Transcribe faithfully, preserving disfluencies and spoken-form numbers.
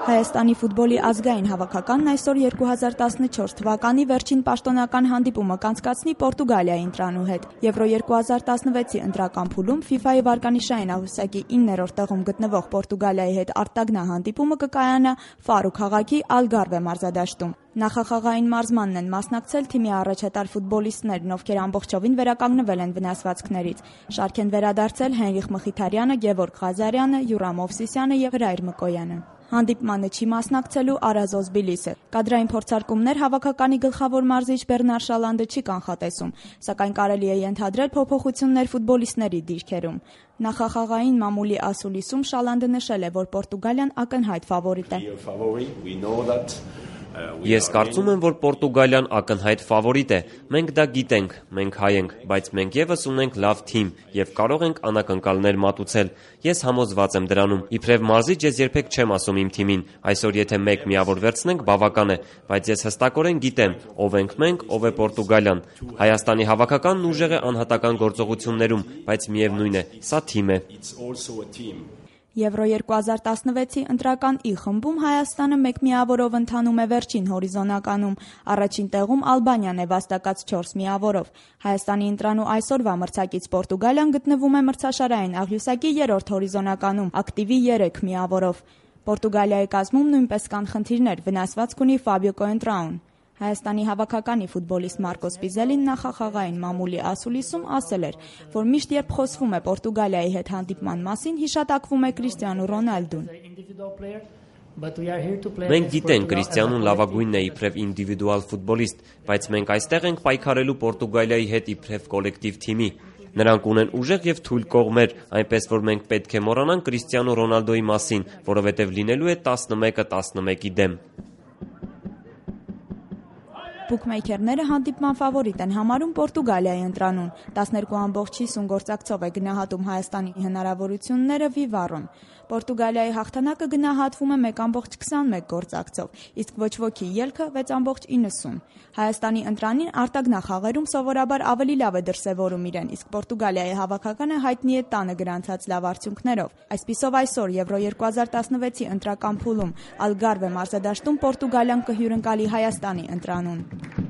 Հայաստանի ֆուտբոլի ազգային հավաքականն այսօր երկու հազար տասնչորս թվականի վերջին պաշտոնական հանդիպումը կանցկացնի Պորտուգալիայի ընտրանու հետ։ Եվրո երկու հազար տասնվեցի ընտրական փուլում ֆիֆայի վարկանիշային աղյուսակի իններորդ տեղում գտնվող Պորտուգալիայի հետ արտագնահանդիպումը կկայանա Ֆարու քաղաքի Ալգարվե մարզադաշտում։ Նախախաղային մարզմանն են մասնակցել թիմի առաջատար ֆուտբոլիստներն, ովքեր ամբողջովին վերականգնվել են վնասվածքներից։ Շարք են վերադարձել Հենրիխ Մխիթարյանը, Գևորգ Ղազարյանը, Յուրամ Օվսիսյանը եւ Հրայր Մկոյանը։ Հանդիպմանը չի մասնակցելու Արազոզ Բիլիսը։ Կադրային փորձարկումներ հավաքականի գլխավոր մարզիչ Բեռնար Շալանդը չի կանխատեսում, սակայն կարելի է ենթադրել փոփոխություններ ֆուտբոլիստների դիրքերում։ Նախախաղային մամուլի ասուլիսում Շալանդը նշել է, որ Պորտուգալիան ակնհայտ ֆավորիտ է։ Ես կարծում եմ, որ Պորտուգալիան ակնհայտ ֆավորիտ է։ Մենք դա գիտենք, մենք հայ ենք, բայց մենք եւս ունենք լավ թիմ եւ կարող ենք անակնկալներ մատուցել։ Ես համոզված եմ դրանում։ Իբրև մարզիչ ես երբեք չեմ ասում իմ թիմին, այսօր եթե մեկ միավոր վերցնենք, բավական է, բայց ես հստակորեն գիտեմ, ով ենք մենք, ով է Պորտուգալիան։ Հայաստանի հավաքականն ուժեղ է անհատական գործողություններում, բայց միևնույն է, սա թիմ է։ Եվրո երկու հազար տասնվեցի ընտրական ի խմբում Հայաստանը մեկ միավորով ընթանում է վերջին հորիզոնականում։ Առաջին տեղում Ալբանիան է վաստակած չորս միավորով։ Հայաստանի ընտրանու այսօրվա մրցակից Պորտուգալիան գտնվում է մրցաշարային աղյուսակի երրորդ հորիզոնականում, ակտիվի երեք միավորով։ Պորտուգալիայի կազմում նույնպես կան խնդիրներ, վնասվածք ունի Ֆաբիո Կոենտրաուն։ Հայաստանի հավաքականի ֆուտբոլիստ Մարկոս Պիզելին նախախաղային մամուլի ասուլիսում ասել էր, որ միշտ երբ խոսվում է Պորտուգալիայի հետ հանդիպման մասին, հիշատակվում է Կրիստիանու Ռոնալդուն։ Մենք գիտենք, Կրիստիանուն լավագույնն է իբրև ինդիվիդուալ ֆուտբոլիստ, բայց մենք այստեղ ենք պայքարելու Պորտուգալիայի հետ իբրև կոլեկտիվ թիմի։ Նրանք ունեն ուժեղ եւ թույլ կողմեր, այնպես որ մենք պետք է մոռանանք Կրիստիանու Ռոնալդոյի մասին, որովհետեւ լինելու է տասնմեկը տասնմեկի դեմ։ Բուքմեյքերները հանդիպման ֆավորիտ են համարում Պորտուգալիայի ընտրանուն։ տասներկու ամբողջ հիսուն գործակցով է գնահատում Հայաստանի հնարավորությունները Վիվարոն։ Պորտուգալիայի հաղթանակը գնահատվում է մեկ ամբողջ քսանմեկ գործակցով, իսկ ոչ ոքի ելքը վեց ամբողջ իննսուն։ Հայաստանի ընտրանին արտագնախաղերում սովորաբար ավելի լավ է դրսևորում իրեն, իսկ Պորտուգալիայի հավաքականը հայտնի է տանը գրանցած լավ արդյունքներով։ Այսպիսով այսօր Եվրո երկու հազար տասնվեցի ընտրական փուլում Ալգարվե մարզադաշտում Պորտուգալիան կհյուրընկալի Հայաստանի ընտրանուն։